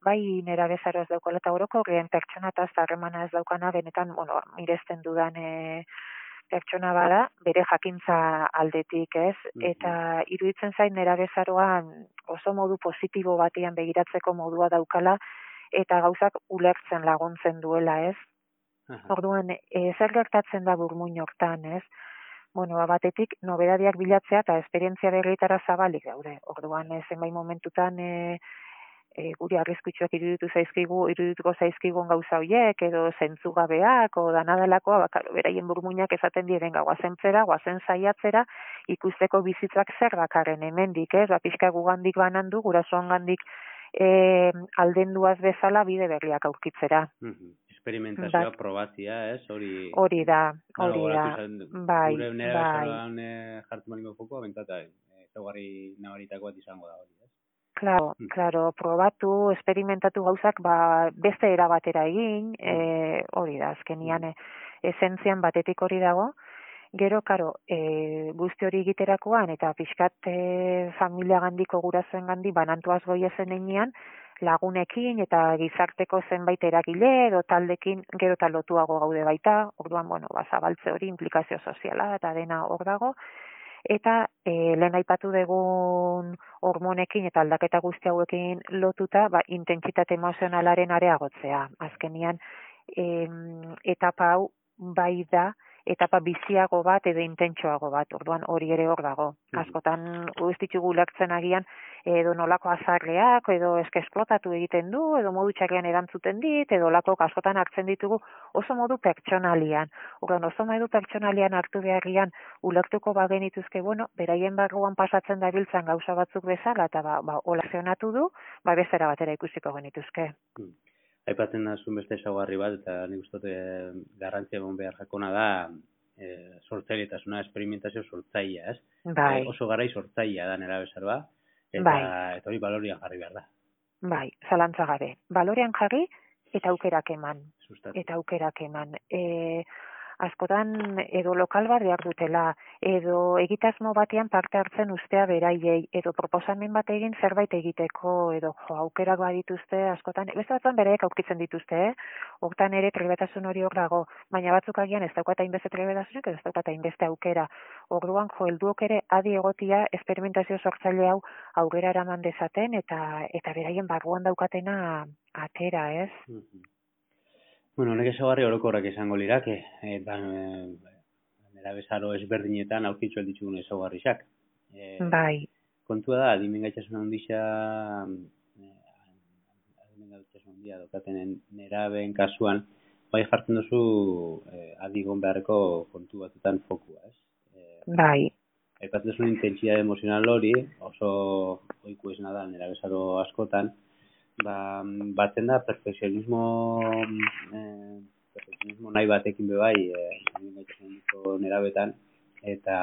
bai nerabezaroaz daukala, eta orokorrean pertsonataz harremana ez daukana, benetan, bueno, miresten dudan e, pertsona bada, bere jakintza aldetik, ez? Eta iruditzen zain nerabezaroan oso modu positibo batean begiratzeko modua daukala, eta gauzak ulertzen laguntzen duela, ez? Orduan, e, zer gertatzen da burmuin hortan, ez? Bueno, batetik, nobedadiak bilatzea eta esperientzia berrietara zabalik daude. Orduan, zenbait momentutan e, e, guri arriskutsuak iruditu zaizkigu, irudituko zaizkigun gauza horiek, edo zentzugabeak, o danadalakoa, bakaro, beraien burmuinak esaten diren guazen zera, guazen saiatzera, ikusteko bizitzak zer dakarren hemendik, ez? Ba, pixka gugandik banandu, gurasoan gandik E, aldenduaz bezala bide berriak aurkitzera. Mm-hmm. Experimentazioa, bai. Probazia, ez? Hori, hori da, hori da. Bai, gure nera bezaroan jartu malingo foko, bentata, ezaugarri nabaritako bat izango da hori, ez? Claro, mm. claro, probatu, experimentatu gauzak, ba, beste erabatera egin, mm. e, hori da, azkenian, mm. esentzian batetik hori dago. Gero, karo, e, guzti hori egiterakoan, eta pixkat e, familia gandiko gurasoen gandi, banantuaz goiezen enean, lagunekin eta gizarteko zenbait eragile edo taldekin gero eta lotuago gaude baita, orduan, bueno, ba, zabaltze hori implikazio soziala eta dena hor dago, eta e, lehen aipatu dugun hormonekin eta aldaketa guzti hauekin lotuta, ba, intentsitate emozionalaren areagotzea. Azkenian, e, etapa hau bai da, etapa biziago bat edo intentsoago bat, orduan hori ere hor dago. Askotan ez ditugu ulertzen agian edo nolako azarreak, edo eske esplotatu egiten du, edo modu txarrean erantzuten dit, edo lako askotan hartzen ditugu oso modu pertsonalian. Orduan oso modu pertsonalian hartu beharrian ulertuko bagenituzke, bueno, beraien barruan pasatzen dabiltzan gauza batzuk bezala, eta ba, ba, olazionatu du, ba bezera batera ikusiko genituzke. Hmm. Aipatzen da zuen beste ezaugarri bat, eta nik uste dut garrantzia egon behar jakona da e, sortzailetasuna, esperimentazio sortzailea, ez? Bai. E, oso garai sortzailea da nerabezaroa, eta, bai. eta hori balorian jarri behar da. Bai, zalantza gabe. Balorean jarri eta aukerak eman. Sustatu. Eta aukerak eman. E, askotan edo lokal bat behar dutela, edo egitasmo batean parte hartzen ustea beraiei, edo proposamen bat egin zerbait egiteko, edo jo, aukerak badituzte, askotan, beste batzuan beraiek aurkitzen dituzte, eh? Hortan ere trebetasun hori hor dago, baina batzuk agian ez daukata inbeste trebetasunak, ez daukata inbeste aukera. Orduan, jo, helduok ere adi egotia esperimentazio sortzaile hau aurrera eraman dezaten, eta eta beraien barruan daukatena atera, ez? Mm-hmm. Bueno, honek ezaugarri orokorrak izango lirak, eta e, nerabezaro ezberdinetan aurkitzu alditzugun ezaugarrizak. E, bai. Kontua da, adimen gaitasun handia, adimen gaitasun handia dokatenen nerabeen kasuan, bai jartzen duzu e, adigon beharreko kontu batetan fokua, ez? E, bai. Aipatzen duzu intentsitate emozional hori, oso ohiko esna da nerabezaro askotan, ba, batzen da perfekzionismo eh, perfekzionismo nahi batekin bebai eh, nerabetan eta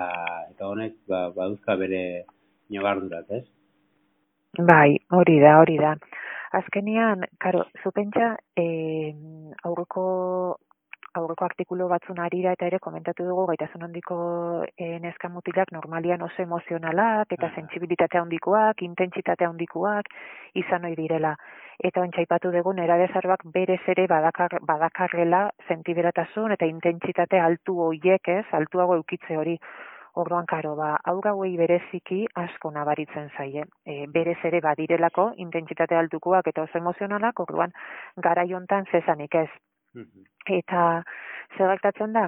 eta honek ba, baduzka bere ñabardurak, ez? Bai, hori da, hori da. Azkenean, karo, zupentsa eh, aurreko aurreko artikulu batzun arira eta ere komentatu dugu gaitasun handiko e, neska mutilak normalian oso emozionalak eta sentsibilitate handikoak, intentsitate handikoak izan ohi direla. Eta ontsaipatu dugu nerabezaroak berez ere badakar, badakarrela sentiberatasun eta intentsitate altu hoiek, ez, altuago eukitze hori. Orduan, karo, ba, aur hauei bereziki asko nabaritzen zaie. E, berez ere badirelako, intentsitate altukoak eta oso emozionalak, orduan, garai hontan zezanik ez. Eta zer gertatzen da,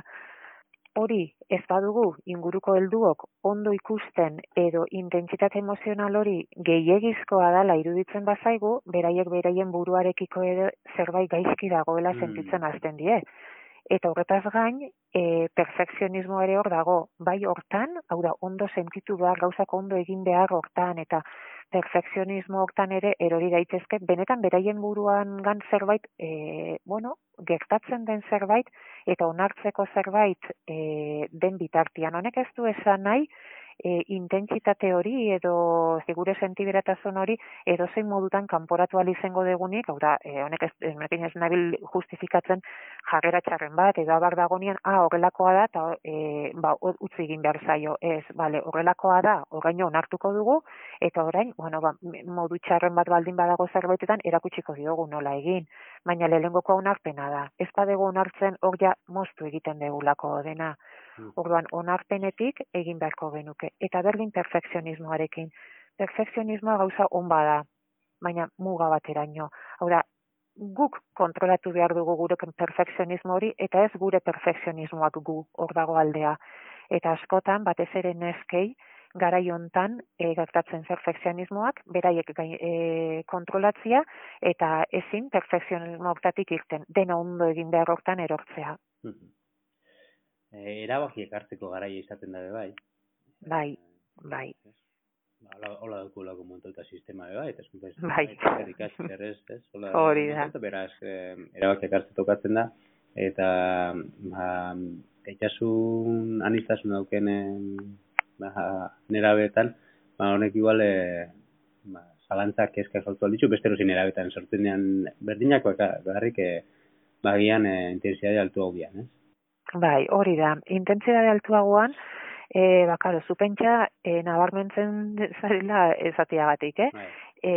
hori ez badugu inguruko helduok ondo ikusten edo intentsitate emozional hori gehiegizkoa dela iruditzen bazaigu, beraiek beraien buruarekiko edo zerbait gaizki dagoela sentitzen hasten die. Eta horretaz gain, e, perfekzionismo ere hor dago, bai hortan, hau da, ondo sentitu behar, gauzak ondo egin behar hortan, eta perfekzionismo hortan ere erori daitezke, benetan beraien buruan gan zerbait, e, bueno, gertatzen den zerbait, eta onartzeko zerbait e, den bitartian. Honek ez du esan nahi, e, intentsitate hori edo gure sentiberatasun hori edo zein modutan kanporatu ahal izango degunik, hau da, e, honek ez, ez nabil justifikatzen jarrera txarren bat, edo abar dagonean, ah, horrelakoa da, eta e, ba, utzi egin behar zaio, ez, bale, horrelakoa da, oraino onartuko dugu, eta orain, bueno, ba, modu txarren bat baldin badago zerbaitetan, erakutsiko diogu nola egin, baina lehenengoko onarpena da, ez badego onartzen hor ja moztu egiten degulako dena. Orduan, onarpenetik egin beharko genuke. Eta berdin perfekzionismoarekin. Perfekzionismoa gauza on bada, baina muga bateraino. Hau da, guk kontrolatu behar dugu gure perfekzionismo hori, eta ez gure perfekzionismoak gu hor dago aldea. Eta askotan, batez ere neskei, garai hontan e, gertatzen perfekzionismoak, beraiek e, kontrolatzia, eta ezin perfekzionismo hortatik irten. Dena ondo egin behar hortan erortzea. Erabakiek hartzeko garaia izaten dabe bai. Bai, bai. Hola daukulako montauta sistema be bai, eta eskuntza bai. Errez, ez? Hori da. Beraz, erabakiek hartzen tokatzen da, eta ba, gaitasun anistasun dauken ba, nerabeetan, ba, honek igual ba, zalantzak kezka sortu alditzu, beste erozin nerabeetan sortzenean berdinakoak garrik bagian intensitate altu hau bian, ez? Bai, hori da. Intentsitate altuagoan, e, bakaro, zupentsa e, nabarmentzen zarela ezatiagatik, eh? Bai. E,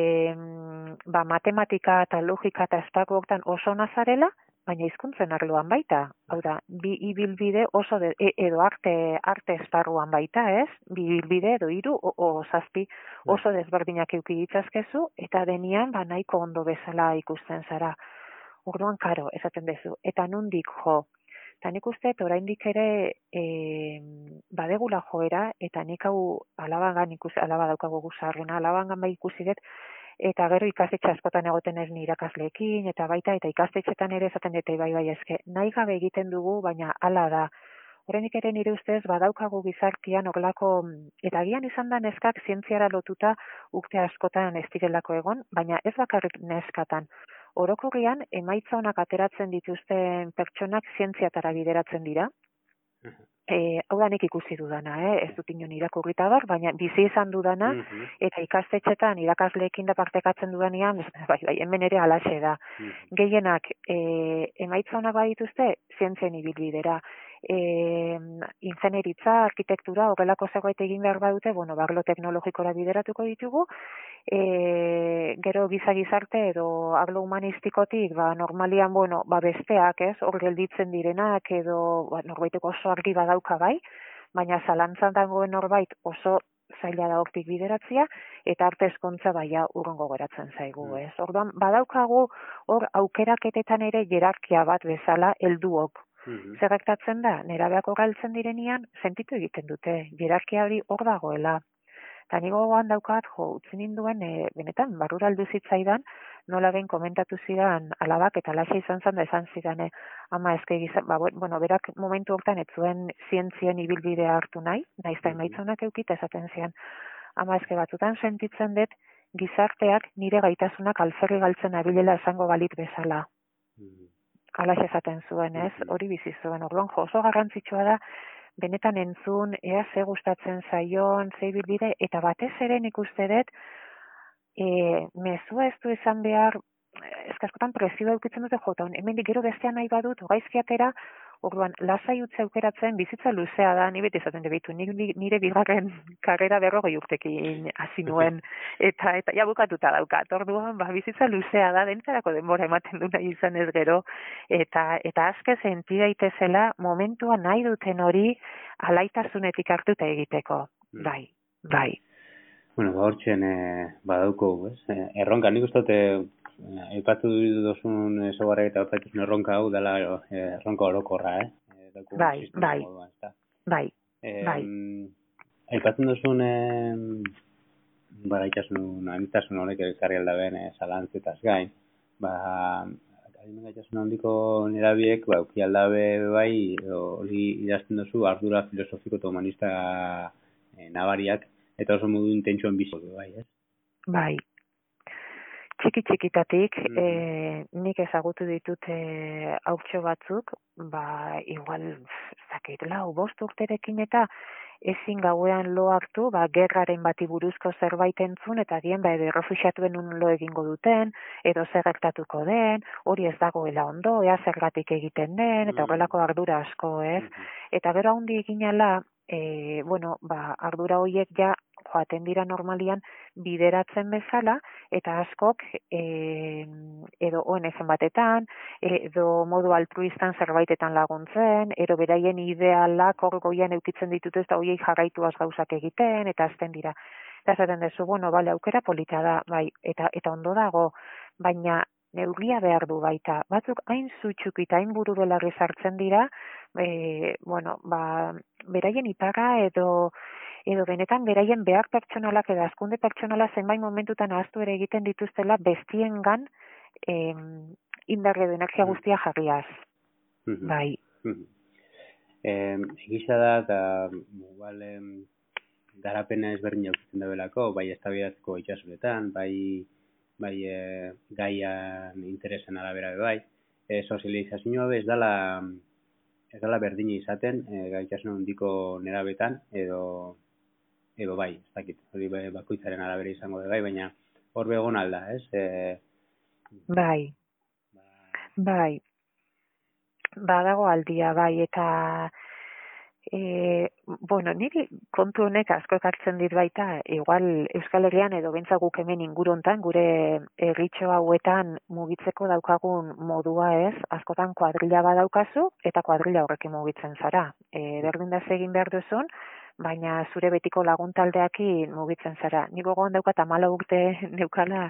ba, matematika eta logika eta esparruoktan oso nazarela, baina hizkuntzen arloan baita. Hau da, bi ibilbide oso de, e, edo arte arte esparruan baita, ez? Bi ibilbide edo hiru o, o zazpi oso desberdinak eduki ditzazkezu eta denian ba nahiko ondo bezala ikusten zara. Orduan karo, esaten dezu. Eta nondik jo? Eta nik uste, oraindik ere e, badegula joera, eta nik hau alabangan ikusi, alaba daukago guzarrena, alabangan bai ikusi dut, eta gero ikastetxe askotan egoten ez ni irakasleekin, eta baita, eta ikastetxetan ere esaten dute bai bai eske, nahi gabe egiten dugu, baina hala da. Oraindik ere nire ustez badaukagu gizartian horrelako, eta agian izan da neskak zientziara lotuta urte askotan ez direlako egon, baina ez bakarrik neskatan. Orokorrian, emaitza honak ateratzen dituzten pertsonak zientziatara bideratzen dira. E, hau da nik ikusi dudana, eh? Ez dut inon irakurrita bar, baina bizi izan dudana, eta ikastetxetan irakasleekin da partekatzen dudanean, bai, bai, hemen ere alaxe da. Gehienak, e, emaitza honak badituzte, zientzien ibilbidera. E, ingenieritza, arkitektura, horrelako zegoet egin behar badute, bueno, barlo teknologikora bideratuko ditugu, e, gero giza gizarte edo arlo humanistikotik, ba, normalian, bueno, ba, besteak, ez, hor gelditzen direnak, edo, ba, norbaiteko oso argi badauka bai, baina zalantzan dagoen norbait oso zaila da hortik bideratzia, eta arte eskontza baia urrongo geratzen zaigu, ez. Orduan, badaukagu hor aukeraketetan ere jerarkia bat bezala helduok. Mm-hmm. Zer gertatzen da, nerabeak galtzen direnian, sentitu egiten dute, jerarkia hori hor dagoela. Eta nigo gogoan daukat, jo, utzi ninduen, e, benetan, barrura aldu zitzaidan, nola behin komentatu zidan alabak, eta laxa izan zan da esan zidan, e, ama ezke gizan, ba, bueno, berak momentu hortan ez zuen zientzien ibilbidea hartu nahi, nahiz da emaitzunak eukita esaten zian, ama ezke batzutan sentitzen dut, gizarteak nire gaitasunak alferri galtzen abilela esango balit bezala. Mm-hmm. Alax esaten zuen, ez? Hori bizi zuen. Orduan, jo, oso garrantzitsua da, benetan entzun, ea ze gustatzen zaion, ze ibilbide, eta batez ere nik uste dut, e, mezua ez du izan behar, eskaskotan presioa eukitzen dute jota, hemen gero bestean nahi badut, gaizki atera, orduan, lasai utzi aukeratzen, bizitza luzea da, ni beti esaten debitu, nire bigarren karrera berrogei urtekin hasi nuen, eta, eta ja bukatuta daukat, orduan, ba, bizitza luzea da, dentzarako denbora ematen du nahi izan ez gero, eta, eta azke senti daitezela, momentua nahi duten hori, alaitasunetik hartuta egiteko, Mm. bai, bai. Bueno, gaurtzen eh, badauko, ez? Eh, erronka, nik uste dute, eh, aipatu duzun ezagarra eta aipatuzun erronka hau dela eh, erronka orokorra, eh? Eh, dauko Bai, sistema bai. moduan, ezta? Bai, Eh, bai. Aipatzen duzun, eh, baraitasun, amitasun honek ekarri aldaben eh, zalantzetaz gain, ba, adimen gaitasun handiko nerabiek, ba, uki aldabe bai, hori idazten duzu ardura filosofiko eta humanista eh, nabariak, eta oso modu intentsuan bizi bai, ez? Bai. Txiki txikitatik, Mhm. eh, nik ezagutu ditut eh, haurtxo batzuk, ba, igual, zakit, lau, bost urterekin eta ezin gauean lo hartu, ba, gerraren bati buruzko zerbait entzun, eta dien, ba, edo errefuxiatuen un lo egingo duten, edo zer gertatuko den, hori ez dagoela ondo, ea zergatik egiten den, eta horrelako ardura asko, ez? Eta gero handi eginala, e, bueno, ba, ardura horiek ja joaten dira normalian bideratzen bezala, eta askok e, edo O N G batetan, edo modu altruistan zerbaitetan laguntzen, edo beraien idealak hor goian eukitzen ditut ez da horiei jarraituaz gauzak egiten, eta azten dira. Eta zaten dezu, bueno, bale, aukera polita da, bai, eta, eta ondo dago, baina neurria behar du baita. Batzuk hain zutxuk eta hain buru belarri sartzen dira, e, bueno, ba, beraien iparra edo edo benetan beraien behar pertsonalak edo azkunde pertsonala zenbait momentutan ahaztu ere egiten dituztela bestiengan em, indarre edo energia guztia jarriaz. Bai. Eh, egisa da, eta igual eh, garapena ezberdin jauzten dabelako, bai eztabaidatzeko itxasuretan, bai bai eh, gaian interesen arabera bai, eh, sozializazioa ez dala ez dala berdina izaten, eh, gaitasun handiko nerabetan, edo edo bai, ez dakit, hori bakoitzaren arabera izango da bai, baina hor begon alda, ez? E, bai, bai, badago aldia, bai, eta e, bueno, niri kontu honek asko ekartzen dit baita, igual Euskal Herrian edo bentsa guk hemen inguru hontan, gure herritxo hauetan mugitzeko daukagun modua ez, askotan kuadrilla badaukazu, eta kuadrilla horrekin mugitzen zara. E, berdin da egin behar duzun, baina zure betiko laguntaldeakin mugitzen zara. Nik gogoan daukat hamala urte neukala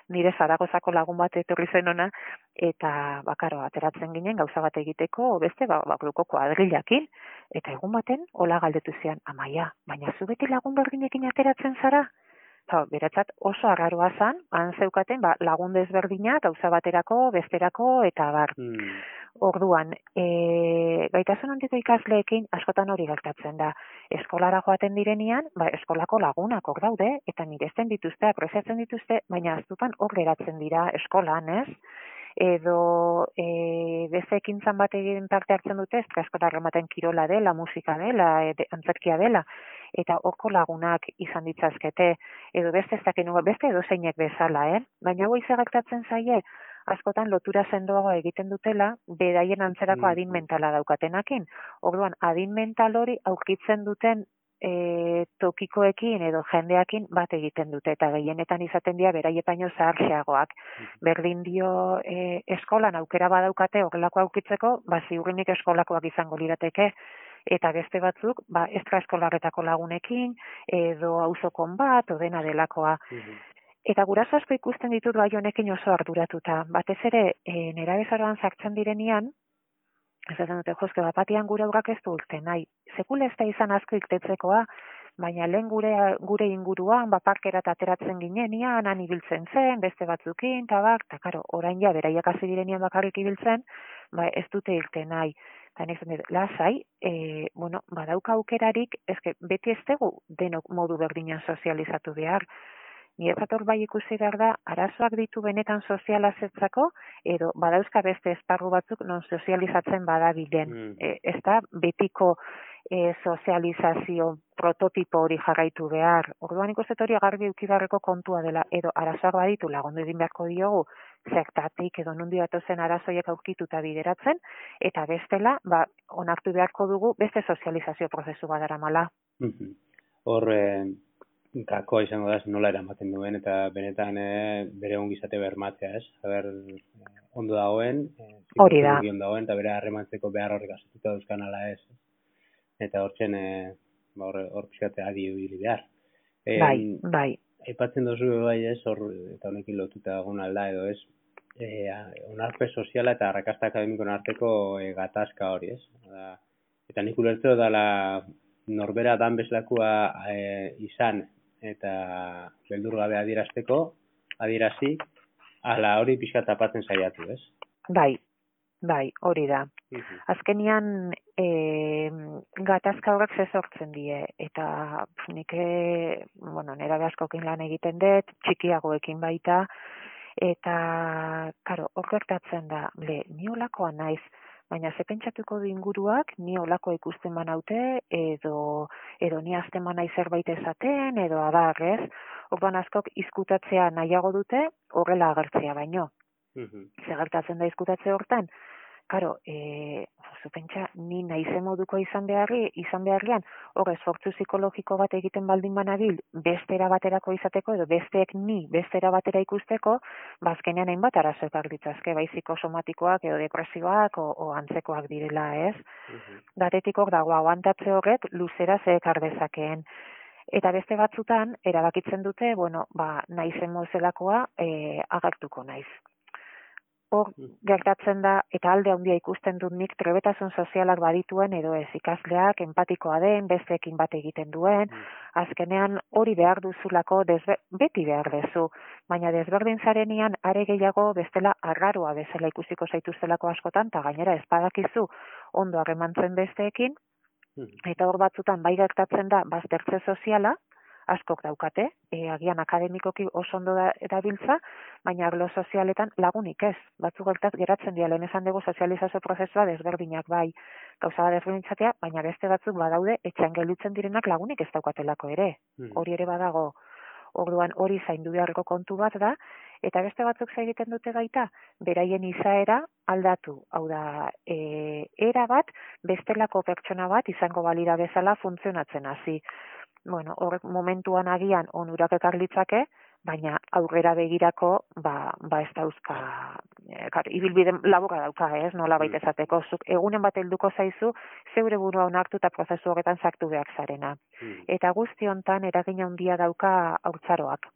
nire Zaragozako lagun bat etorri zen ona, eta bakaro, ateratzen ginen gauza bat egiteko, beste ba, bakruko kuadrillakin, eta egun baten, hola galdetu zian, amaia, baina zu beti lagun berdinekin ateratzen zara? Eta beratzat oso arraroa zan, han zeukaten ba, lagun desberdina, gauza baterako, besterako, eta bar. Hmm. Orduan, e, gaitasun handiko ikasleekin askotan hori gertatzen da. Eskolara joaten direnian, ba, eskolako lagunak hor daude, eta miresten dituzte, apreciatzen dituzte, baina aztutan hor geratzen dira eskolan, ez? Edo e, beste ekintzan bat egin parte hartzen dute, ez eskola rematen kirola dela, musika dela, ed, antzerkia dela, eta horko lagunak izan ditzazkete, edo beste ez dakin, beste edo zeinek bezala, eh? Baina hoi gertatzen zaie, askotan lotura sendoago egiten dutela, beraien antzerako adin mentala daukatenakin. Orduan, adin mental hori aurkitzen duten e, tokikoekin edo jendeakin bat egiten dute, eta gehienetan izaten dira beraietaino zaharxeagoak. Berdin dio e, eskolan aukera badaukate horrelako aukitzeko, ba ziurrenik eskolakoak izango lirateke, eta beste batzuk, ba, extraeskolarretako lagunekin, edo auzokon bat, odena delakoa. Eta guraso asko ikusten ditut bai honekin oso arduratuta. Batez ere, e, nerabezaroan sartzen direnian, ez da dute, jozke, bapatian gure aurrak ez du urte nahi. Sekula ez da izan asko iktetzekoa, baina lehen gure, gure inguruan, baparkera ateratzen ginenian, han ibiltzen zen, beste batzukin, eta bak, eta karo, orain ja, beraiak hasi direnian bakarrik ibiltzen, ba, ez dute irte nahi. Eta nik zen, lasai, e, bueno, badauka aukerarik, ezke, beti ez dugu denok modu berdinan sozializatu behar. Niretzat bai ikusi behar da, arazoak ditu benetan sozializatzeko, edo badauzka beste esparru batzuk non sozializatzen badabilen. Mm. E, ez da betiko e, sozializazio prototipo hori jarraitu behar. Orduan ikusten hori garbi eukibarreko kontua dela, edo arazoak baditu lagundu egin beharko diogu, zertatik edo nundi datozen arazoiek aurkituta bideratzen, eta bestela, ba, onartu beharko dugu beste sozializazio prozesu badaramala. Mm-hmm. Hor, eh... gakoa izango da, nola eramaten duen, eta benetan e, bere ongizate bermatzea, ez? Haber, ondo dagoen, hori da. Ondo dagoen, eta bere harremantzeko behar horrek asetuta dauzkan ala ez. eta hortzen e, ba, hor, hor pixkate adi ibili behar. E, Bai, bai. Aipatzen duzu bai ez, hor, eta honekin lotuta egun alda edo ez, e, onarpe soziala eta arrakasta akademikoen arteko e, gatazka hori ez. Da, eta nik ulertzeo dala norbera dan bezlakoa e, izan eta beldur gabe adierazteko, adierazi, ala hori pixka tapatzen saiatu, ez? Bai, bai, hori da. Uh-huh. Azkenian e, gatazka horrek ze sortzen die, eta nik, e, bueno, nera askokin lan egiten dut, txikiagoekin baita, eta, karo, hor gertatzen da, le, ni olakoa naiz, baina ze pentsatuko du inguruak, ni olako ikusten banaute, edo, edo ni azten banai zerbait esaten, edo adarrez, orduan askok izkutatzea nahiago dute, horrela agertzea baino. Uh-huh. Ze gertatzen da izkutatze hortan, karo, e, zu pentsa, ni naize moduko izan beharri, izan beharrian, hor esfortzu psikologiko bat egiten baldin banabil, bestera baterako izateko, edo besteek ni bestera batera ikusteko, bazkenean hainbat arazo ekar ditzazke, bai psikosomatikoak, edo depresioak, o, o antzekoak direla, ez? Uh-huh. Datetik hor dago, aguantatze horrek, luzera ze ekar dezakeen. Eta beste batzutan, erabakitzen dute, bueno, ba, naizen mozelakoa e, agertuko naiz. Hor gertatzen da, eta alde handia ikusten dut nik, trebetasun sozialak badituen, edo ez ikasleak, empatikoa den, besteekin bat egiten duen, azkenean hori behar duzulako, desbe, beti behar dezu, baina desberdin zarenian, are gehiago bestela arraroa bezala ikusiko zaituztelako askotan, eta gainera ez badakizu ondo harremantzen besteekin, eta hor batzutan bai gertatzen da, baztertze soziala, askok daukate, e, agian akademikoki oso ondo da, erabiltza, baina arlo sozialetan lagunik ez. Batzu gertat geratzen dira, lehen esan dugu sozializazio prozesua desberdinak bai, gauza bat desberdintzatea, baina beste batzuk badaude, etxean gelditzen direnak lagunik ez daukatelako ere. Mm. Hori ere badago, orduan hori zaindu beharreko kontu bat da, eta beste batzuk egiten dute baita, beraien izaera aldatu. Hau da, e, era bat, bestelako pertsona bat izango balira bezala funtzionatzen hasi. Bueno, horrek momentuan agian onurak ekar litzake, baina aurrera begirako, ba, ba ez dauzka, e, kar, ibilbide laburra dauka, ez, nola baita esateko, zuk egunen bat helduko zaizu, zeure burua onartu eta prozesu horretan sartu behar zarena. Mm. Eta guzti hontan eragina handia dauka haurtzaroak.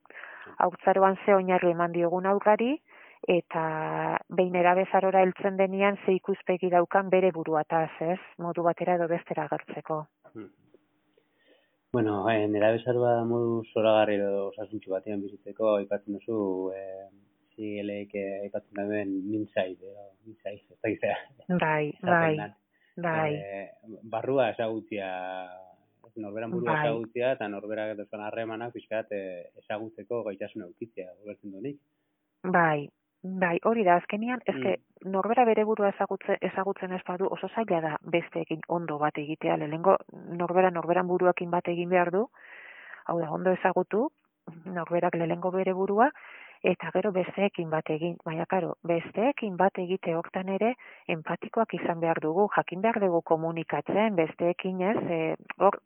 Haurtzaroan ze oinarri eman diogun aurrari, eta behin erabezarora heltzen denean ze ikuspegi daukan bere buruataz, ez, modu batera edo bestera agertzeko. Mm. Bueno, eh, nera bezaroa modu zoragarri edo osasuntxu batean bizitzeko, aipatzen duzu, eh, zigeleik eh, aipatzen duen mintzai, edo mintzai, ez da gizera. Bai, bai, bai. Eh, barrua ezagutzia, norberan burua bai. Ezagutzia, eta norberak dozkan harremanak pixkat eh, ezagutzeko gaitasun eukitzea, gobertzen duenik. Bai, bai, hori da, azkenian, ezke, mm. norbera bere burua ezagutzen, ezagutzen ez badu, oso zaila da besteekin ondo bat egitea, lehengo norbera norberan buruakin bat egin behar du, hau da, ondo ezagutu, norberak lehengo bere burua, eta gero besteekin bat egin, baina karo, besteekin bat egite hortan ere, empatikoak izan behar dugu, jakin behar dugu komunikatzen, besteekin ez, e, hor,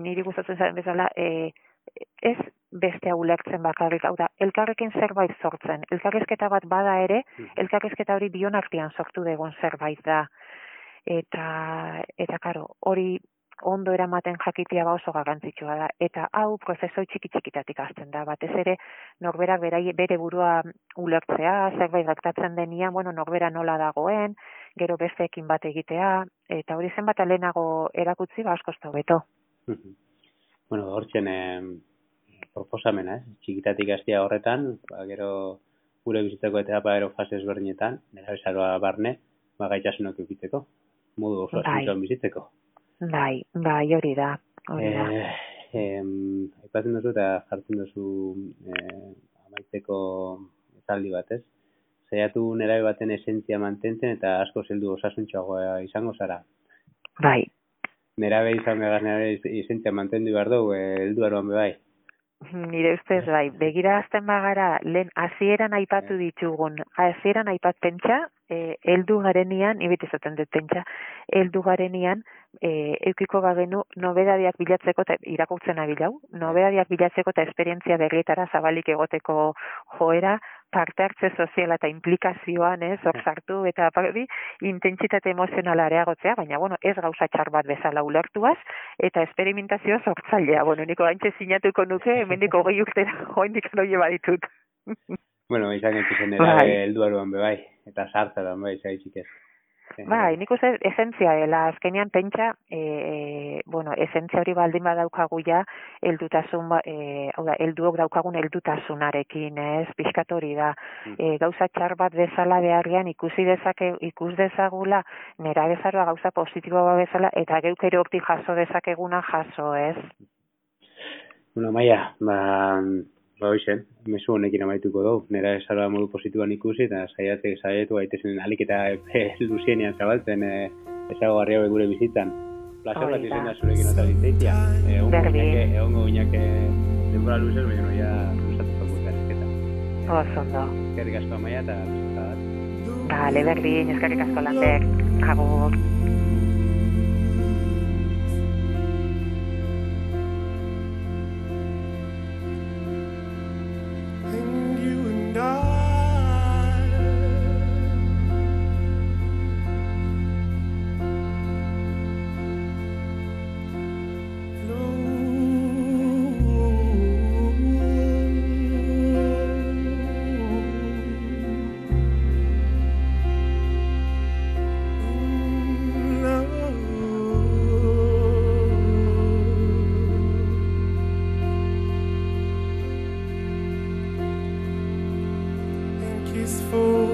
niri gustatzen zaren bezala, e, ez bestea ulertzen bakarrik, hau da, elkarrekin zerbait sortzen. Elkarrizketa bat bada ere, elkarrizketa hori bion artean sortu degon zerbait da. Eta, eta karo, hori ondo eramaten jakitea ba oso garrantzitsua da. Eta hau prozesoi txiki-txikitatik hasten da. Batez ere, norberak berai, bere burua ulertzea, zerbait gertatzen denian, bueno, norbera nola dagoen, gero besteekin bat egitea, eta hori zenbat alenago erakutzi, ba asko ez da hobeto. Bueno, hortzen eh, proposamena, eh? Txikitatik hastea horretan, ba, gero gure bizitzeko etapa gero fase ezberdinetan, nera bezaroa barne, ba, gaitasunok eukitzeko, modu oso asuntoan bizitzeko. Bai, bai, hori da. Hori da. Eh, eh, aipatzen duzu eta jartzen duzu eh, amaitzeko esaldi bat, ez? Zaiatu nerabe baten esentzia mantentzen eta asko zeldu osasuntxoagoa izango zara. Bai. Nerabe izan behar nerabe esentzia mantendu behar dugu, heldu aroan bebai. Nire ustez bai, begira azten bagara, lehen hasieran aipatu ditugun, hasieran aipat pentsa, e, eldu garenian, ibet izaten dut pentsa, eldu garenian, e, eukiko bagenu, nobedadiak bilatzeko, eta irakurtzen abilau, nobedadiak bilatzeko eta esperientzia berrietara zabalik egoteko joera, parte hartze soziala eta implikazioan, ez, hor sartu eta hori intentsitate emozionala areagotzea, baina bueno, ez gauza txar bat bezala ulertuaz eta esperimentazio sortzailea. Bueno, niko gaintxe sinatuko nuke, hemendik hogei urtera joindik noie baditut. Bueno, izan gaitzen era helduaruan be bai, eta sartzean bai, zaitzik ez. Bai, nik uste esentzia dela, azkenean pentsa, e, e, bueno, esentzia hori baldin badaukagu ja, heldutasun, e, hau da, helduok daukagun heldutasunarekin, ez, pixkat hori da, e, gauza txar bat bezala beharrian ikusi dezake, ikus dezagula, nera bezaroa gauza positiboa bezala, eta geuk ere hortik jaso dezakeguna jaso, ez? Bueno, Maia, ba, ba hoizen, mezu honekin amaituko dugu, nera bezaroa modu positiboan ikusi, eta saiatek saiatu gaitezen alik eta luzienean zabaltzen e, ezagarri hau gure bizitzan. Plazer bat izan da zurekin eta litzeitia. Egongo ginak denbora luzez, baina noia luzatuko guztarizketa. Osondo. Eskerrik asko Maia eta luzeta bat. Bale, berdin, eskerrik asko Lander. Agur. Peaceful